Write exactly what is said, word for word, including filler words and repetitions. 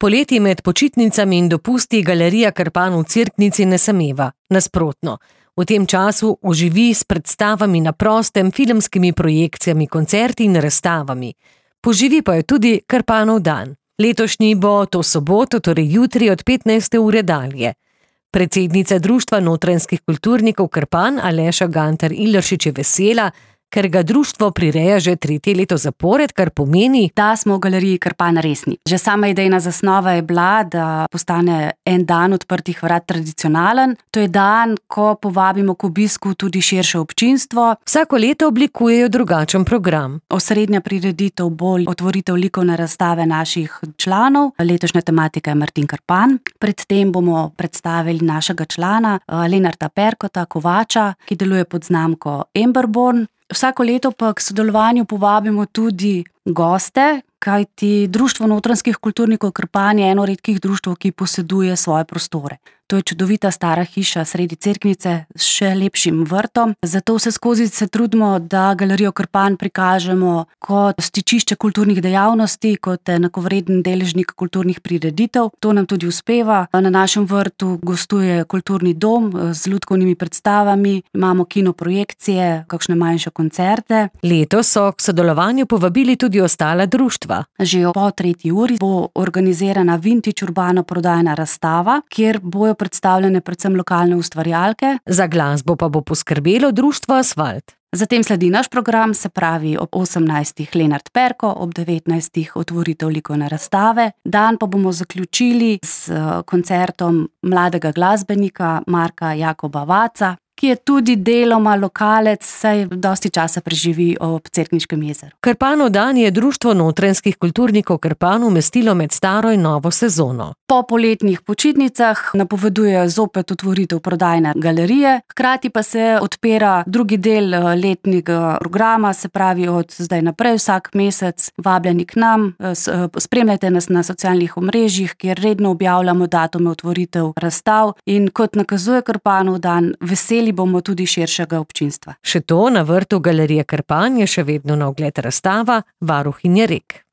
Poleti med počitnicami in dopusti Galerija Krpan v Cerknici ne sameva. Nasprotno. V tem času oživi s predstavami na prostem, filmskimi projekcijami, koncerti in razstavami. Poživi pa je tudi Krpanov dan. Letošnji bo to soboto, torej jutri od petnajste ure dalje. Predsednica Društva notranjskih kulturnikov Krpan Aleša Gantar-Ileršič je vesela, ker ga društvo prireja že tretje leto zapored, kar pomeni, da smo v Galeriji Krpan resni. Že sama idejna zasnova je bila, da postane en dan odprtih vrat tradicionalen. To je dan, ko povabimo k obisku tudi širše občinstvo. Vsako leto oblikujejo drugačen program. Osrednja prireditev bo otvoritev likovne razstave naših članov. Letošnja tematika je Martin Krpan. Predtem bomo predstavili našega člana Lenarta Perkota, kovača, ki deluje pod znamko Emberborn. Vsako leto pa k sodelovanju povabimo tudi goste, kajti Društvo notranjskih kulturnikov Krpan je eno redkih društev, ki poseduje svoje prostore. To je čudovita stara hiša sredi Cerknice s še lepšim vrtom. Zato vse skozi se trudimo, da Galerijo Krpan prikažemo kot stičišče kulturnih dejavnosti, kot enakovreden deležnik kulturnih prireditev. To nam tudi uspeva. Na našem vrtu gostuje kulturni dom z lutkovnimi predstavami, imamo kinoprojekcije, kakšne manjše koncerte. Letos so k sodelovanju povabili tudi ostala društva. Že po tretji uri bo organizirana vintage urbano prodajna razstava, kjer bojo predstavljene predvsem lokalne ustvarjalke. Za glasbo pa bo poskrbelo društvo Asfalt. Zatem sledi naš program, se pravi ob osemnajstih Lenart Perko, ob devetnajstih otvoritev likovne razstave. Dan pa bomo zaključili s koncertom mladega glasbenika Marka Jakoba Vaca, ki je tudi deloma lokalec, saj dosti časa preživi ob Cerkniškem jezeru. Krpanov dan je Društvo notranjskih kulturnikov Krpan umestilo med staro in novo sezono. Po poletnih počitnicah napovedujejo zopet otvoritev prodajne galerije, hkrati pa se odpira drugi del letnega programa, se pravi od zdaj naprej vsak mesec vabljeni k nam, spremljajte nas na socialnih omrežjih, kjer redno objavljamo datume otvoritev razstav in kot nakazuje Krpanov dan, veseli bomo tudi širšega občinstva. Še to, na vrtu Galerije Krpan je še vedno na ogled razstava Varuhinje rek.